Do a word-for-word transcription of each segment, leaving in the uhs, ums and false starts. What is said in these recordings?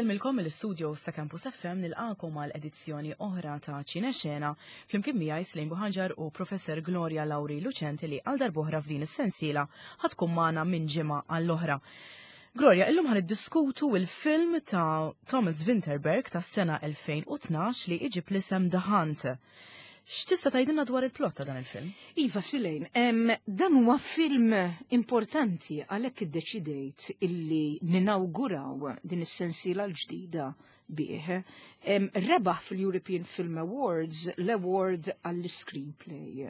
Insellmilkom mill-istudio sa' Campus F M, nilqakom għal edizzjoni oħra ta' Ċinexena flimkien miegħi Slejn Buħanġar u Professor Gloria Lauri Lucenti, li għal darb'oħra f'din is-sensiela ħa tkun magħna minn ġimgħa għall-oħra. Gloria, illum ħa niddiskutu il-film ta' Thomas Vinterberg tas-sena elfejn u tnax li iġib l-isem The Hunt. X'tista' tgħidilna dwar il-plot ta' dan il-film? Iva, Silejn, em, dan huwa film importanti, għalhekk iddeċidejt illi ninawguraw din is-sensiela l-ġdida bih. Em, rebaħ fil-European Film Awards l-award għall-screenplay.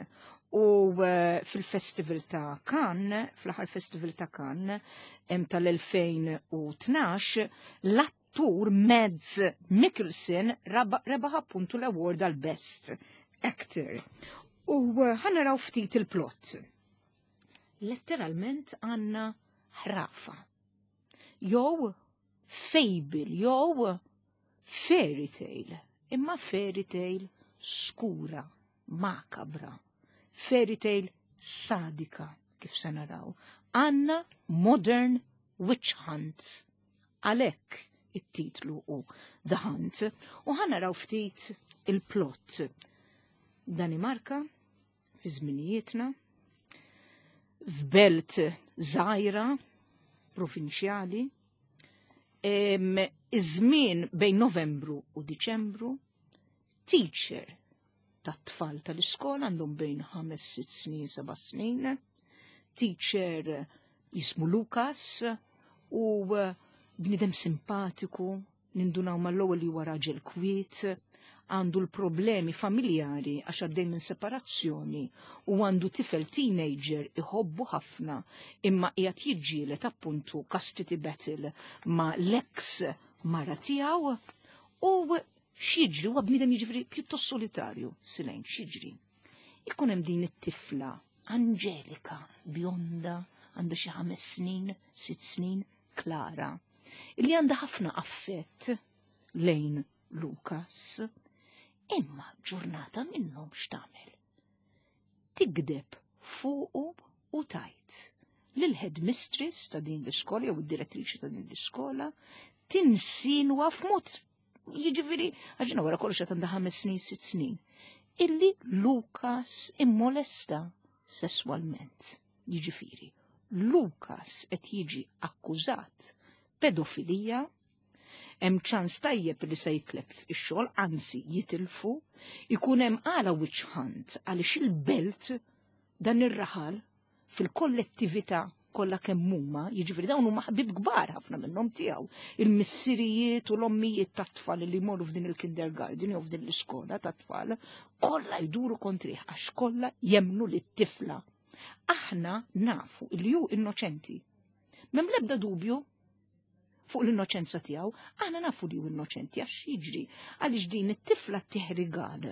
U uh, fil-Festival ta' Cannes, fl-aħħar Festival ta' Cannes em, tal-elfejn u tnax, l-attur Mads Mikkelsen rebaħ appuntu l-award għal-Best Actor. U uh, ħa naraw ftit il-plot. Letteralment għandna ħrafa. Jew fable, jew fairy tale. Imma fairy tale skura, makabra. Fairy tale sadika, kif se naraw. Għandna modern witch hunt. Għalhekk it-titlu u The Hunt. U ħa naraw ftit il-plot. Danimarka, fi żminijietna, f'belt żgħira, provinċjali, iż-żmien bejn Novembru u Diċembru, teacher tat-tfal tal-iskola, għandhom bejn ħames, sitt snin, seba' snin, teacher jismu Lukas u bnidem simpatiku, nindunaw mal-ewwel li huwa raġel kwiet, għandu l-problemi familjari għax għaddej minn separazzjoni u għandu tifel teenager iħobbu ħafna, imma qiegħed jiġġieled appuntu custody battle ma' l-ex mara tiegħu. U x'jiġri, huwa bniedem jiġifieri pjuttost solitarju, Silejn, x'jiġri? Ikun hemm din it-tifla Angelika, bjonda, għandha xi ħames snin, sitt snin, Klara, illi għandha ħafna affett lejn Lukas. Imma ġurnata minnhom x'tagħmel? Tigdeb fuqu u tgħid lil headmistress ta' din l-iskola jew id-direttriċi ta' din l-iskola, tinsinwa f'mod, jiġifieri għax wara kollox qed għandha ħames snin, sitt snin, illi Lukas immolesta sesswalment. Jiġifieri, Lukas qed jiġi akkużat pedofilija, hemm ċans tajjeb li se jitlef ix-xogħol, anzi jitilfu, ikun hemm għala witch hunt għaliex il-belt, dan ir-raħal fil-kollettività kollha kemm huma, jiġifieri dawn huma ħbib kbar ħafna minnhom tiegħu. Il-missirijiet u l-ommijiet tat-tfal li jmorru f'din il-kindergarten jew f'din l-iskola tat-tfal, kollha jduru kontrih għax kollha jemnu li t-tifla. Aħna nafu li hu innoċenti. M'hemm l-ebda dubju fuq l-innoċenza tiegħu, aħna nafu li hu innoċenti għax jiġri għaliex din it-tifla ttih rigal.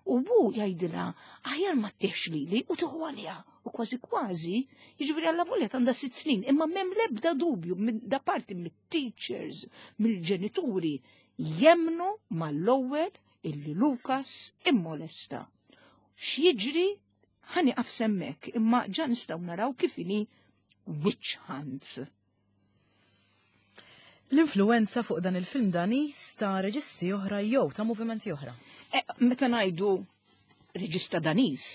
U hu jgħidilha aħjar ma ttihx lili u tieħu għaliha. U kważi kważi, jiġifieri għalla volja għandha sitt snin, imma m'hemm l-ebda dubju da parti mit-teachers, mill-ġenituri, jemnu mal-ewwel illi Lukas immolesta. X'jiġri, ħa nieqaf s'hemmhekk, imma ġa nistgħu naraw kif inhi witch hunt. L-influenza fuq dan il-film Danis ta' reġisti oħra jew ta' movimenti oħra. E, meta ngħidu reġista Danis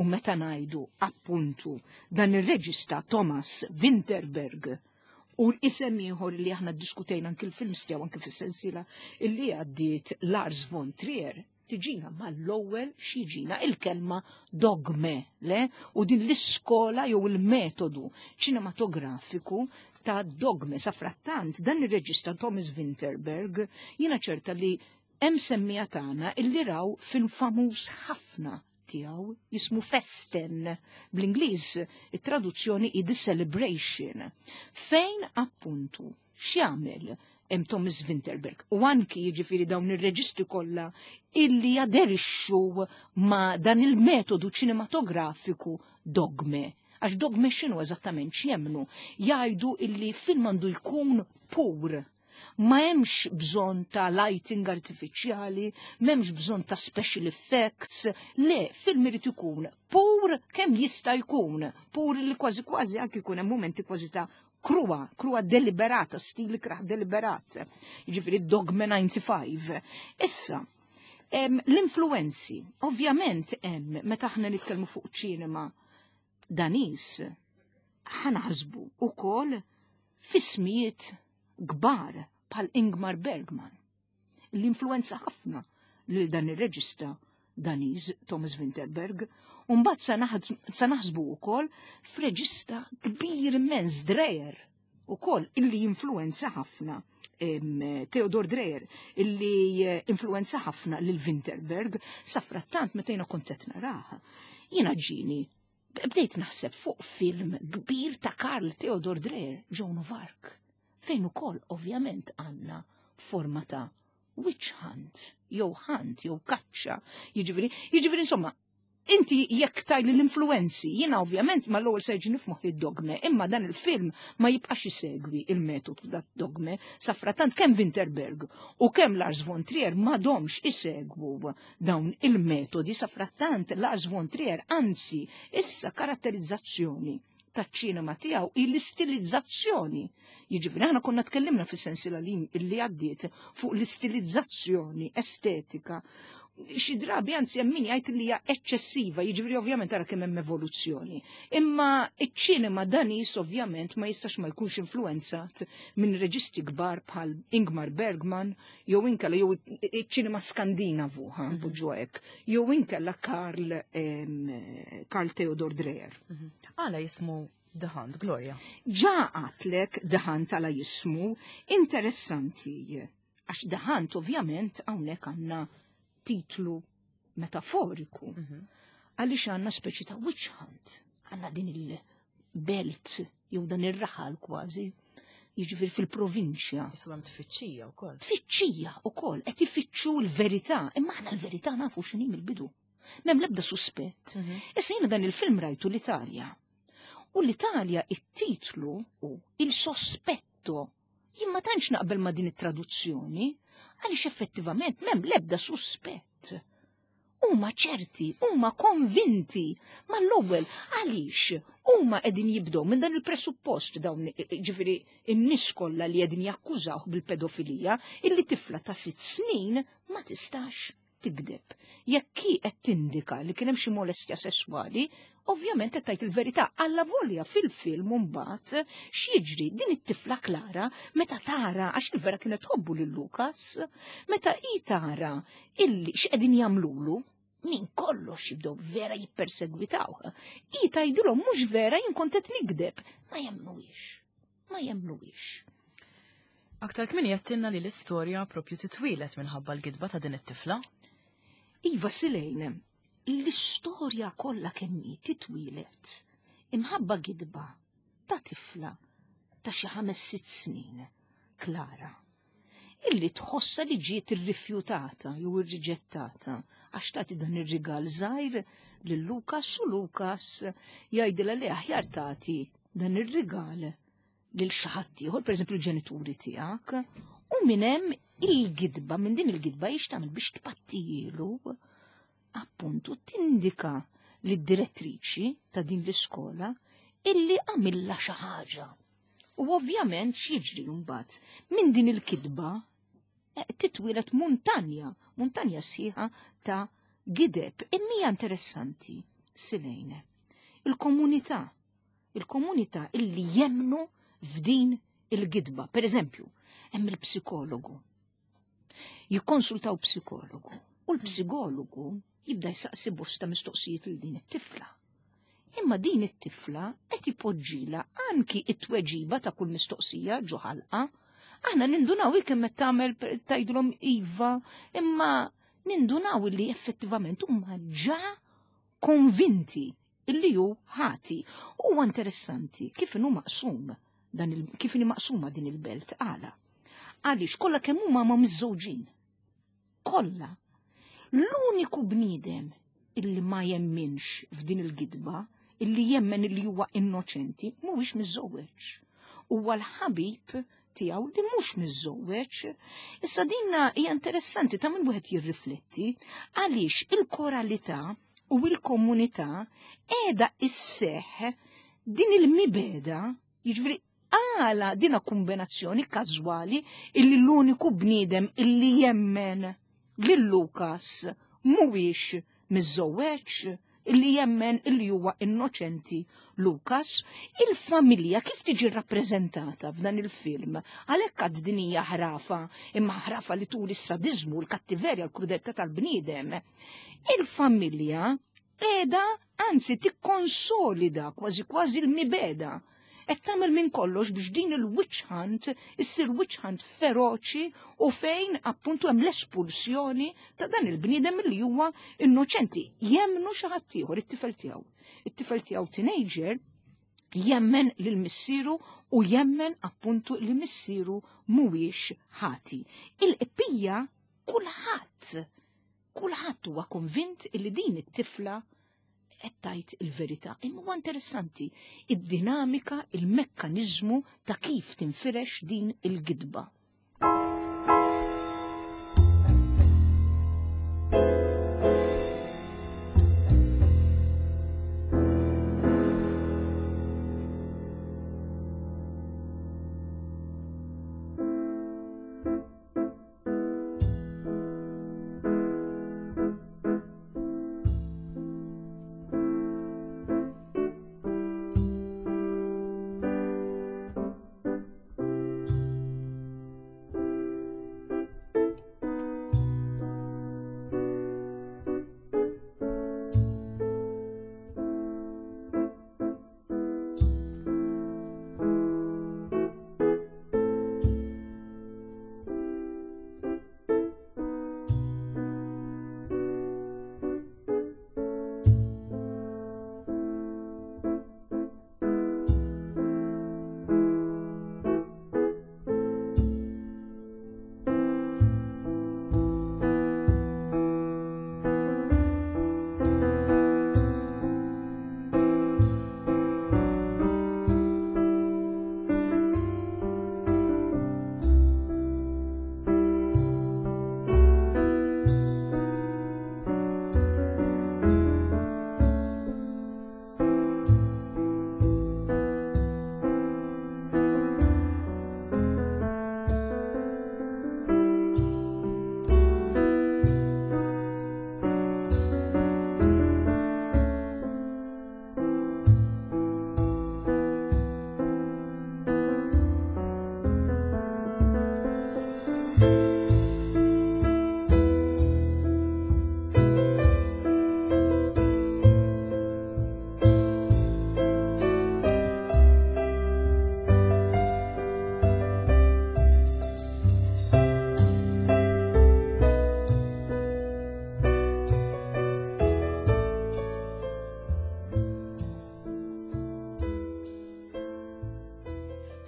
u meta ngħidu appuntu dan ir-reġista Thomas Vinterberg u l-isem ieħor li aħna ddiskutejna anki l-film tiegħu anki fis-sensiela illi għaddiet, Lars von Trier, tiġina mal-ewwel x'jiġina il-kelma Dogme, le? U din l-iskola jew il-metodu ċinematografiku ta' Dogme. Sa frattant dan ir-reġista Thomas Vinterberg, jiena ċerta li hemm semmija tagħna illi raw film famuż ħafna tiegħu jismu Festen, bl-Ingliż it-traduzzjoni i The Celebration, fejn appuntu x'jagħmel hemm Thomas Vinterberg u anki jiġifieri dawn ir-reġistri kollha illi jaderixxu ma' dan il-metodu ċinematografiku Dogme. Għax Dogme x'inhu eżattament, x'jemnu? Jgħidu illi film għandu jkun pur. Ma hemmx bżonn ta' lighting artifiċjali, m'hemmx bżonn ta' special effects, le, film irid ikun pur kemm jista' jkun, pur li kważi kważi anki jkun hemm momenti kważi ta' Kruha, kruha deliberata, stil ikrah deliberat. Jiġifieri Dogme disgħa u disgħin. Issa, l-influenzi, ovvjament hemm meta aħna nitkellmu fuq ċinema Daniż, ħa naħsbu ukoll f'ismijiet kbar bħal Ingmar Bergman. L-influenza ħafna lil dan ir-reġista Daniż Thomas Vinterberg. Umbat sa naħsbu wkoll f'reġista kbir immens, Dreyer, ukoll illi influenza ħafna Theodor Dreyer, illi eh, influenza ħafna lil Vinterberg. Safrattant meta jiena kont qed naraha, jiena ġini bdejt naħseb fuq film kbir ta' Carl Theodor Dreyer, Joan of Arc, fejn ukoll ovvjament għandna forma ta' witch hunt, jew hunt, jew kaċċa, jiġifieri, jiġifieri insomma, inti jekk tgħidli l-influenzi, jiena ovvjament ma l-ewwel se jiġini f'moħħi Dogme, imma dan il-film ma jibqax isegwi il-metodu ta' Dogme. Safratant kemm Vinterberg u kemm Lars von Trier m'għadhomx isegwu dawn il-metodi. Safratant Lars von Trier, anzi, issa karatterizzazzjoni taċ-ċinema tiegħu l-istilizzazzjoni. Jiġifieri aħna konna tkellimna fis-sensiela li li għaddiet fuq l-istilizzazzjoni estetika. Xi drabi anzi hemm min jgħid li hija eċċessiva, jiġifieri ovvjament ara kemm hemm evoluzzjoni. Imma iċ-ċinema Daniż ovvjament ma jistax ma jkunx influenzat minn reġisti kbar bħal Ingmar Bergman jew inkella jew iċ-ċinema Skandinavu, ħa npoġġu hekk, jew inkella Carl Carl Theodor Dreyer. Mhm. Għala jismu The Hunt, Gloria? Ġa għedtlek The Hunt għala jismu, interessanti. Għax The Hunt ovvjament hawnhekk għandna titlu metaforiku. Mhm. Għaliex għandna speċi ta' witch hunt, għandna din il-belt, jew dan ir-raħal kważi, jiġifieri fil-provinċja. Jismu hemm tfittxija wkoll. Tfittxija wkoll, qed ifittxu l-verità, imma aħna l-verità nafu x'inhi mill-bidu. M'hemm l-ebda suspett. Mhm. Issa jiena dan il-film rajtu l-Italja. U l-Italja it-titlu u Il Sospetto. Jien ma tantx naqbel ma' din it-traduzzjoni, għaliex effettivament m'hemm l-ebda suspett. Huma ċerti, huma konvinti mal-ewwel, għaliex huma qegħdin jibdew minn dan il-presuppost, dawn ġifieri in-nies kollha li qegħdin jakkużawh bil-pedofilija, illi tifla ta' sitt snin ma tistax tigdeb. Jekk hi qed tindika li kien hemm xi molestja sesswali, ovvjament qed tgħid il-verità. Alla volja fil-film mbagħad x'jiġri, din it-tifla Klara meta tara, għax il-vera kienet tħobbu lil Lukas, meta hi tara illi x'qegħdin jagħmlulu, minn kollox jibdew vera jippersegwitaw. Hi tgħidilhom: "Mhux vera, jien kont qed nigdeb." Ma jemmnuhiex. Ma jemmnuhiex. Aktar kmieni għedtilna li l-istorja propju titwilet minħabba l-gidba ta' din it-tifla. Iva Silejn, l-istorja kollha kemm hi titwilet imħabba gidba ta' tifla ta' xi ħames sitt snin, Klara, illi tħossa li ġiet irrifjutata jew irriġettata għax tagħti dan ir-rigal żgħir lil Lukas u Lukas jgħidilha li aħjar tagħti dan ir-rigal lil xi ħadd ieħor, pereżempju l-ġenituri tiegħek, u minn hemm il-gidba, minn din il-gidba jiex tagħmel biex tpattijielu, appuntu tindika lid-direttriċi ta' din l-iskola illi għamilla xi ħaġa. U ovvjament x'jiġri mbagħad minn din il-kidba eh, titwilet muntanja, muntanja sħiħa ta' gideb. Imma interessanti, Silejne. Il-komunità, il-komunità illi jemnu f'din il-gidba. Per eżempju, hemm il-psikologu. Jikkonsultaw psikologu. U l-psikologu jibda jsaqsi bosta mistoqsijiet lil din it-tifla. Imma din it-tifla qed ipoġġila anki it-tweġiba ta' kull mistoqsija ġo ħalqa. Aħna nindunaw kemm qed tagħmel, tgħidulhom iva, imma nindunaw li effettivament huma ġa konvinti illi hu ħati. Huwa interessanti kif inhu maqsum dan il, kif inhi maqsuma din il-belt, għala. Għaliex kollha kemm huma ma miżżewġin. Kollha. L-uniku bniedem illi ma jemminx f'din il-gidba, illi jemmen illi huwa innoċenti, mhuwiex miżżewweġ. Huwa l-ħabib tiegħu li mhux miżżewweġ. Issa dinna hija interessanti, ta' min wieħed jirrifletti, għaliex il-koralità u il-komunità qiegħda isseħ din il-mibeda, jiġifieri Għala dina kombinazzjoni każwali illi l-uniku bniedem illi jemmen lil Lukas mhuwiex miżżewweġ, illi jemmen illi huwa innoċenti Lukas, il-familja kif tiġi rappreżentata f'dan il-film? Għalhekk għad din hija ħrafa, imma ħrafa li turi s-sadizmu, l-kattiverja, l-krudeltà tal-bniedem. Il-familja qiegħda anzi tikkonsolida kważi kważi l-mibeda. Qed tagħmel minn kollox biex din il-witch hunt issir witch hunt feroċi u fejn appuntu hemm l-espulsjoni ta' dan il-bniedem li huwa innoċenti. Jemmnu xi ħadd ieħor, it-tifel tiegħu. It-tifel tiegħu teenager jemmen lil missieru u jemmen appuntu li missieru mhuwiex ħati. Il-qbija kulħadd, kulħadd huwa konvint li din it-tifla qed tgħid il-verità. Imma huwa interessanti id-dinamika, il-mekkaniżmu ta' kif tinfirex din il-gidba.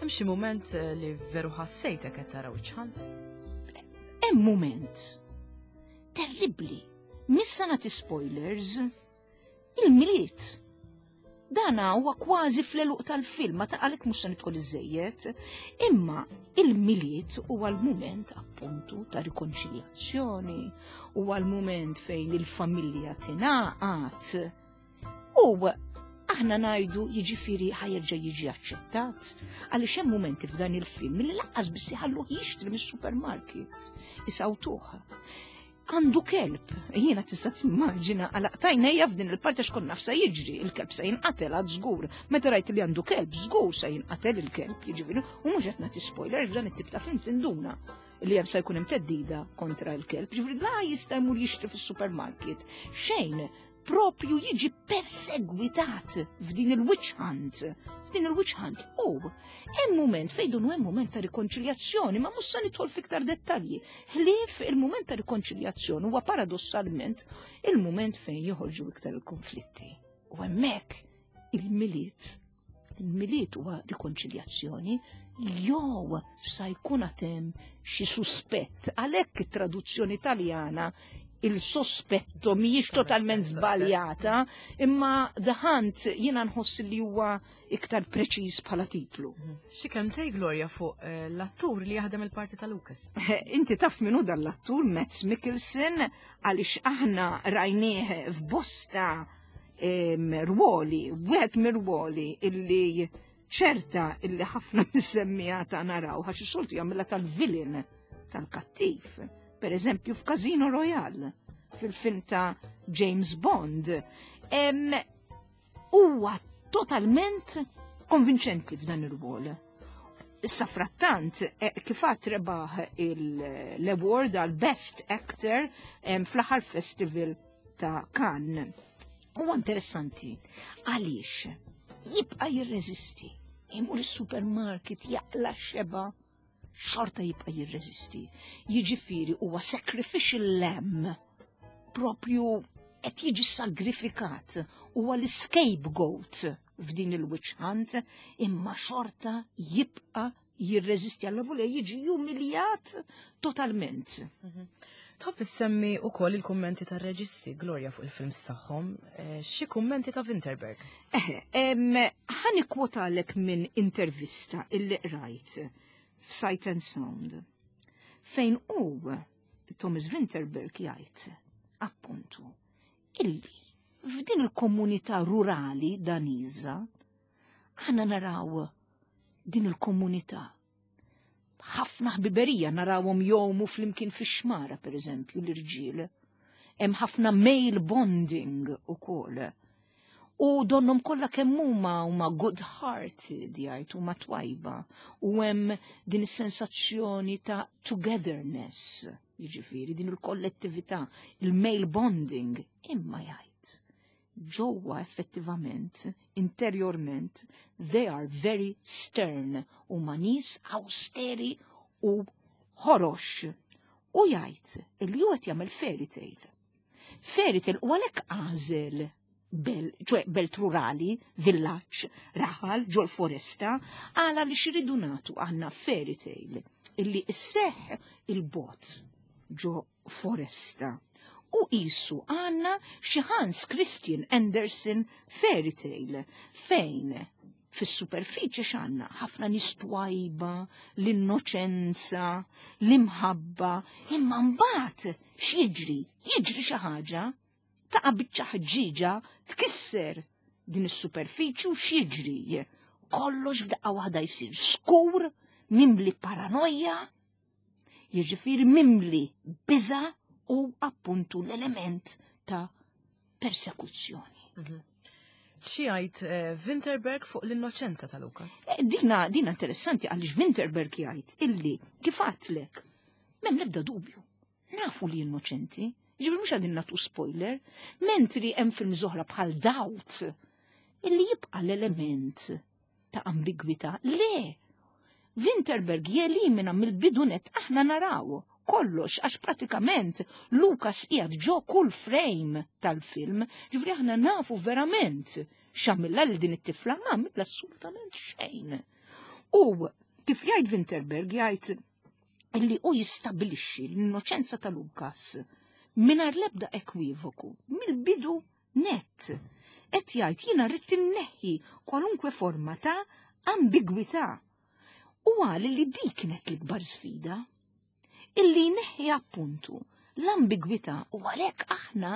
Hemm xi mument li veru ħassejtek qed tara witch hunt? Hemm mument terribbli. Missa nagħti spoilers. Il-Milied. Dana huwa kważi fl-għeluq tal-film, ma ta' għalhekk mhux se nidħol iżejjed. Imma il-Milied huwa l-mument appuntu ta' rikonċiljazzjoni, huwa l-mument fejn il-familja tingħaqad. U aħna ngħidu jiġifieri ħa jerġa' jiġi aċċettat, għaliex hemm mumenti f'dan il-film li lanqas biss iħalluh jixtri mis-supermarket, isawtuh. Għandu kelb, jiena tista' timmaġina għalaqt għajnejja f'din il-parti għax kont naf sa jiġri, il-kelb se jinqatel għad żgur. Meta rajt li għandu kelb, żgur se jinqatel il-kelb, jiġifieri, u mhux qed nagħti spoiler f'dan it-tip ta' film tinduna li hemm se jkun hemm teddida kontra l-kelb, jiġifieri la jista' jmur jixtri fis-supermarket. Xejn, propju jiġi persegwitat f'din il-witch hunt. F'din il-witch hunt. U hemm mument fejn dunu hemm mument ta' rikonċiljazzjoni, ma mhux se nidħol fiktar dettalji. Ħlief il-mument ta' rikonċiljazzjoni huwa paradossalment il-mument fejn joħorġu iktar il-konflitti. U hemmhekk il-Milied, il-Milied huwa rikonċiljazzjoni jew sa jkun hemm xi suspett. Għalhekk it-traduzzjoni Taljana il-sospetto mhijiex totalment żbaljata, imma The Hunt jiena nħoss li huwa iktar preċiż bħala titlu. Xi kemm tgħid Gloria fuq eh, l-attur li jaħdem il-parti ta' Lucas? Inti taf min hu dan l-attur, Mads Mikkelsen, għaliex aħna rajnieh f'bosta, em, rwoli, wieħed mir-rwoli illi Ċerta illi ħafna mis-semmiegħa tagħna raw, għax is-soltu jagħmilha tal-villain, tal-kattiv. Per eżempju, f'Casino Royale, fil-film ta' James Bond. Em, Huwa totalment konvinċenti f'dan ir-rwol. Issa frattant, eh, kif għedt, rebaħ l-award għal Best Actor em, fl-aħħar festival ta' Cannes. Huwa interessanti għaliex jibqa' jirreżisti. Imur is-supermarket jaqla xeba, xorta jibqa' jirreżisti. Jiġifieri huwa sacrificial lamb, propju qed jiġi sagrifikat, huwa l-scapegoat f'din il-witch hunt, imma xorta jibqa' jirreżisti għal jiġi umiljat totalment. Tħobb issemmi ukoll il-kummenti tar-reġisti, Gloria, fuq il-films tagħhom. Eh, Xi kummenti ta' Vinterberg? Eħe, em, ħa nikkwotalek minn intervista illi rajt f'Sight and Sound, fejn u Thomas Vinterberg jgħid, appuntu, illi f'din il-komunità rurali Daniża aħna naraw din il-komunità ħafna ħbiberija, narawhom jgħumu flimkien fix-xmara, per eżempju, l-irġiel. Hemm ħafna male bonding ukoll. U donnhom kollha kemm huma huma good hearted, jgħid, huma twajba, u hemm din is-sensazzjoni ta' togetherness, jiġifieri din il-kollettività, il-male bonding, imma jgħid ġewwa effettivament, interiorment, they are very stern, huma nies austeri u ħorox. U jgħid illi hu qed jagħmel fairy tale. Fairy tale u għalhekk għażel bel, ċoè belt rurali, villaġġ, raħal, ġol foresta, għala li xiridu nagħtu għandna fairy tale illi isseħ il-bot ġo foresta. U qisu għandna xi Hans Christian Andersen fairy tale fejn fis-superfiċi x'għandna? Ħafna nies twajba, l-innoċenza, l-imħabba, imma mbagħad x'jiġri? Jiġri xi ħaġa, taqa' biċċa ħġiġa, tkisser din is-superfiċi u x'jiġri? Kollox f'daqqa waħda jsir skur, mimli paranoja, jiġifieri mimli biża u appuntu l-element ta' persekuzzjoni. Xi jgħid eh, Vinterberg fuq l-innoċenza ta' Lukas? Eh, Dina, dina interessanti għaliex Vinterberg jgħid illi kif għedtlek, m'hemm l-ebda dubju. Nafu li innoċenti, ġifieri mhux qegħdin nagħtu spoiler, mentri hemm film oħra bħal Doubt illi jibqa' l-element ta' ambigwità. Le, Vinterberg jelimina mill-bidu nett, aħna naraw kollox għax pratikament Lukas qiegħed ġo kull frame tal-film, ġifieri aħna nafu verament x'għamilha lil din it-tifla, ma għamilha assolutament xejn. U kif jgħid Vinterberg, jgħid illi u jistabilixxi l-innoċenza ta' Lukas mingħajr l-ebda ekwivoku mill-bidu net. Et jgħid, jiena rrid inneħħi kwalunkwe forma ta' ambigwità. U qal li dik kienet l-ikbar sfida. Illi neħħi appuntu l-ambigwità u għalhekk aħna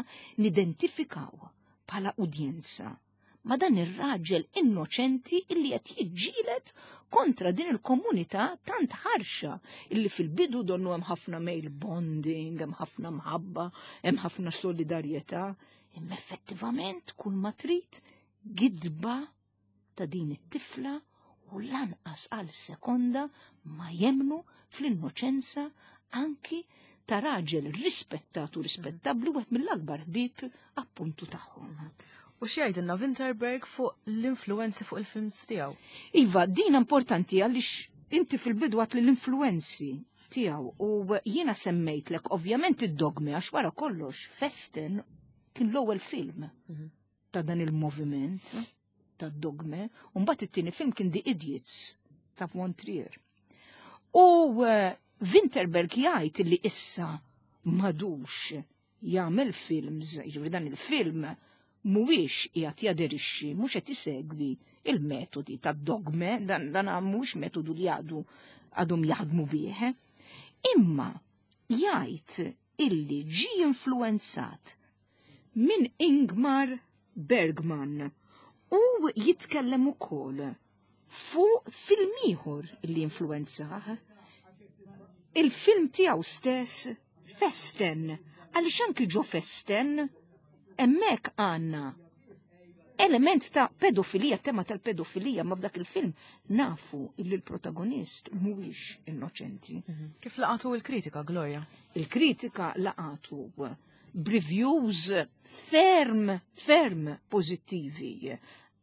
nidentifikaw bħala udjenza ma' dan ir-raġel innoċenti illi qed jiġġieled kontra din il-komunità tant ħarxa illi fil-bidu donnu hemm ħafna male bonding, hemm ħafna mħabba, hemm ħafna solidarjetà, imma effettivament kull ma trid gidba ta' din it-tifla u lanqas għal sekonda ma jemnu fl-innoċenza anki ta' raġel rispettat u rispettabli, wieħed mill-akbar ħbieb appuntu tagħhom. U xi jgħidilna Vinterberg fuq l-influenzi fuq il-films tiegħu? Iva, din importanti għaliex inti fil-bidu għedt li l-influenzi tiegħu u jiena semmejtlek ovvjament id-Dogme, għax wara kollox Festen kien l-ewwel film ta' dan il-moviment ta' Dogme, u mbagħad it-tieni film kien The Idiots ta' Von Trier. U eh, Vinterberg jgħid li issa m'għadux jagħmel films, jiġifieri dan il-film mhuwiex qiegħed jaderixxi, mhux qed isegwi il-metodi ta' Dogme, dan dan mhux metodu li għadu għadhom jaħdmu bih. Imma jgħid illi ġi influenzat minn Ingmar Bergman u jitkellem ukoll fuq film ieħor li influenzah. Il-film tiegħu stess Festen, għaliex anki ġo Festen hemmhekk għandna element ta' pedofilija, tema tal-pedofilija, ma f'dak il-film nafu illi l-protagonist mhuwiex innoċenti. Mhm. Kif laqatu il-kritika, Gloria? Il-kritika laqatu b'reviews ferm, ferm pozittivi.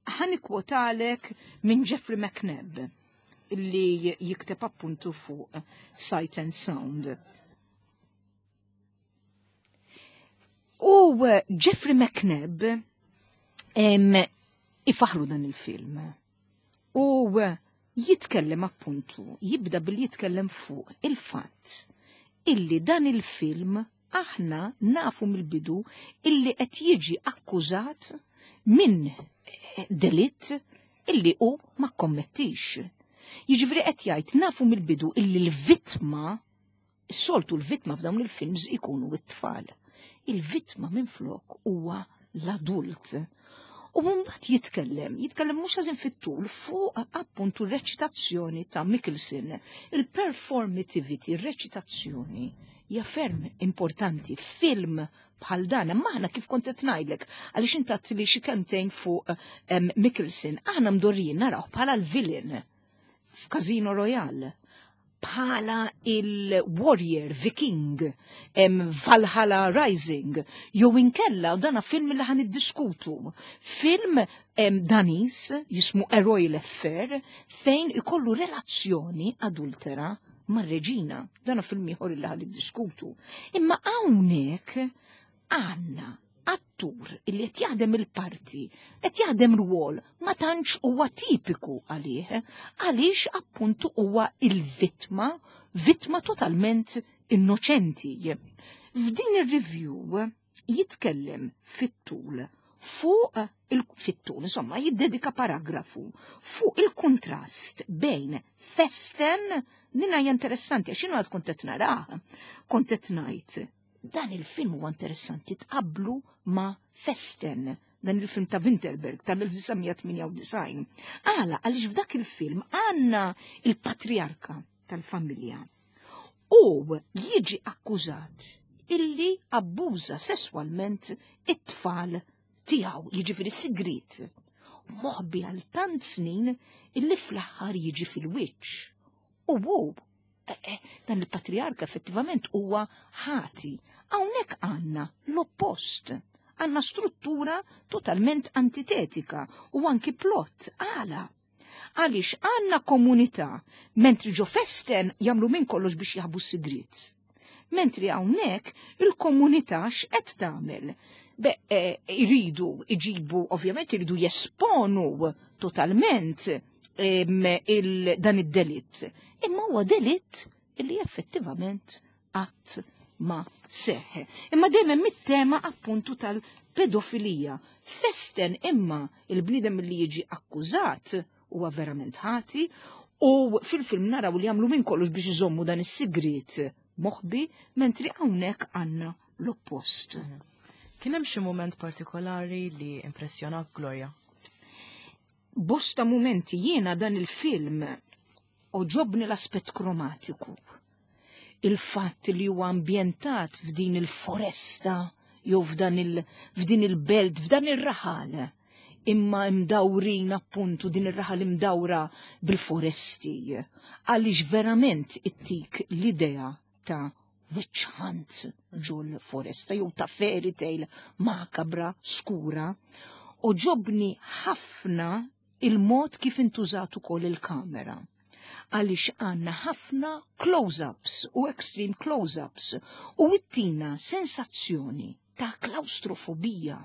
Ħa nikkwotalek minn Jeffrey McNabb li jikteb appuntu fuq Sight and Sound. U Jeffrey McNabb ifaħru dan il-film. U jitkellem appuntu, jibda bil jitkellem fuq il-fatt illi dan il-film aħna nafu mill-bidu illi qed jiġi akkużat minn delitt illi hu ma kommettix. Jiġifieri qed jgħid nafu mill-bidu illi l-vittma, soltu l-vittma f'dawn il-films ikunu it-tfal. Il-vittma minflok huwa l-adult. U mbagħad jitkellem, jitkellem mhux ħażin fit-tul fuq appuntu reċitazzjoni ta' Mikkelsen. Il-performativity, reċitazzjoni hija ferm importanti. Film bħal dan, imma aħna kif kont qed ngħidlek, għaliex intat li xi kelmtejn fuq Mikkelsen, aħna mdorrijin naraw bħala l-villain f'Casino Royale, bħala il-warrior viking em, Valhalla Rising, jew inkella u dana film li ħan iddiskutu. Film em, Danis jismu A Royal Affair fejn ikollu relazzjoni adultera mar-reġina. Dana film ieħor li ħan iddiskutu. Imma hawnhekk għandna attur illi qed jaħdem il-parti, qed jaħdem rwol ma tantx huwa tipiku għalih, għaliex appuntu huwa il-vittma, vittma totalment innoċenti. F'din ir-review jitkellem fit-tul fuq il-fit-tul, insomma, jiddedika paragrafu fuq il-kontrast bejn Festen, nina hija interessanti, għax jiena għad kont qed narah, kont qed ngħid, dan il-film huwa interessanti tqablu ma' Festen, dan il-film ta' Winterberg tal-elf disa' mija tmienja u disgħin. Għala, għaliex f'dak il-film għandna il-patriarka tal-familja u jiġi akkużat illi abbuża sesswalment it-tfal tiegħu, jiġifieri sigriet, moħbi għal tant snin illi fl-aħħar jiġi fil-wiċċ. U hu, eh, eh, dan il-patriarka effettivament huwa ħati. Hawnhekk għandna l-oppost, għandna struttura totalment antitetika u anki plot. Għala? Għaliex għandna komunità, mentri ġo Festen jagħmlu minn kollox biex jaħbu s-sigriet. Mentri hawnhekk il-komunità x'qed tagħmel? Be, eh, iridu iġibu, ovvjament iridu jesponu totalment, em, il, dan id-delitt. Imma huwa delitt illi effettivament qatt ma seħħ. Imma dejjem hemm it-tema appuntu tal-pedofilija. Festen imma il-bniedem li jiġi akkużat huwa verament ħati u fil-film naraw li jagħmlu minn kollox biex iżommu dan is-sigriet moħbi, mentri hawnhekk għandna l-oppost. Mhm. Kien hemm xi mument partikolari li impressjonak, Gloria? Bosta mumenti. Jiena dan il-film oġobni l-aspett kromatiku. Il-fatt li huwa ambjentat f'din il-foresta jew f'dan il-, f'din il-belt, f'dan ir-raħal, imma imdawrin appuntu din ir-raħal imdawra bil-foresti, għaliex verament ittik l-idea ta' witch hunt ġol foresta jew ta' fairy tale makabra, skura. Oġobni ħafna il-mod kif intużat ukoll il-kamera, għaliex għandna ħafna close-ups u extreme close-ups u ittina sensazzjoni ta' klaustrofobija,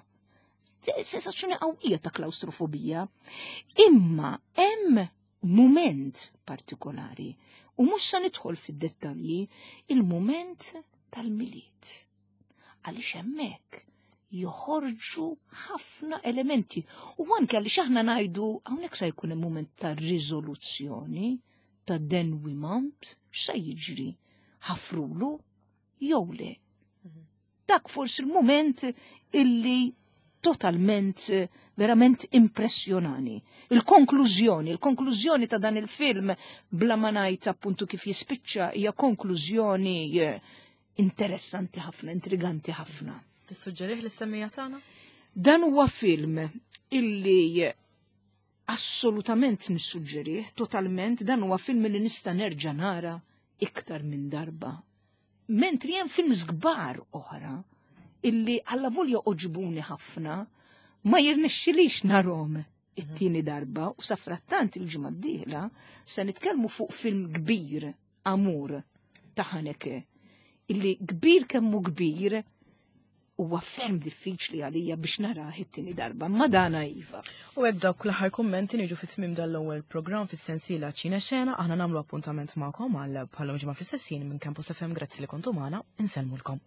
sensazzjoni qawwija ta' klaustrofobija. Imma hemm moment partikolari, u mhux sa nidħol fid-dettalji, il-moment tal-Milied. Għaliex hemmhekk joħorġu ħafna elementi. U anke għaliex aħna ngħidu hawnhekk se jkun hemm mument ta' riżoluzzjoni, ta' denouement, x'sa jiġri? Ħafrulu jew le? Dak forsi il-moment illi totalment Verament impressjonani. Il-konklużjoni, il-konklużjoni ta' dan il-film bla ma ngħid appuntu kif jispiċċa hija konklużjoni eh, interessanti ħafna, intriganti ħafna. Tissuġġerih lis-semmiegħa tagħna? Dan huwa film illi assolutament nissuġġerih, totalment, dan huwa film li nista' nerġa' nara iktar minn darba. Mentri hemm films kbar oħra illi allavolja għoġbuni ħafna, ma jirnexxilix narahom it-tieni darba u safrattant il-ġimgħa d-dieħla se nitkellmu fuq film kbir, Amour, ta' Haneke, illi kbir kemm hu kbir huwa ferm diffiċli għalija biex narah it-tieni darba, ma dana iva. U hekk dawk l-aħħar kummenti niġu fit-tmiem dal-ewwel programm fis-sensiela Ċine Xena, aħna nagħmlu appuntament magħkom għal bħalhom ġimgħa fis-sessin minn Campus F M. Grazzi li kontu magħna, insellmulkom.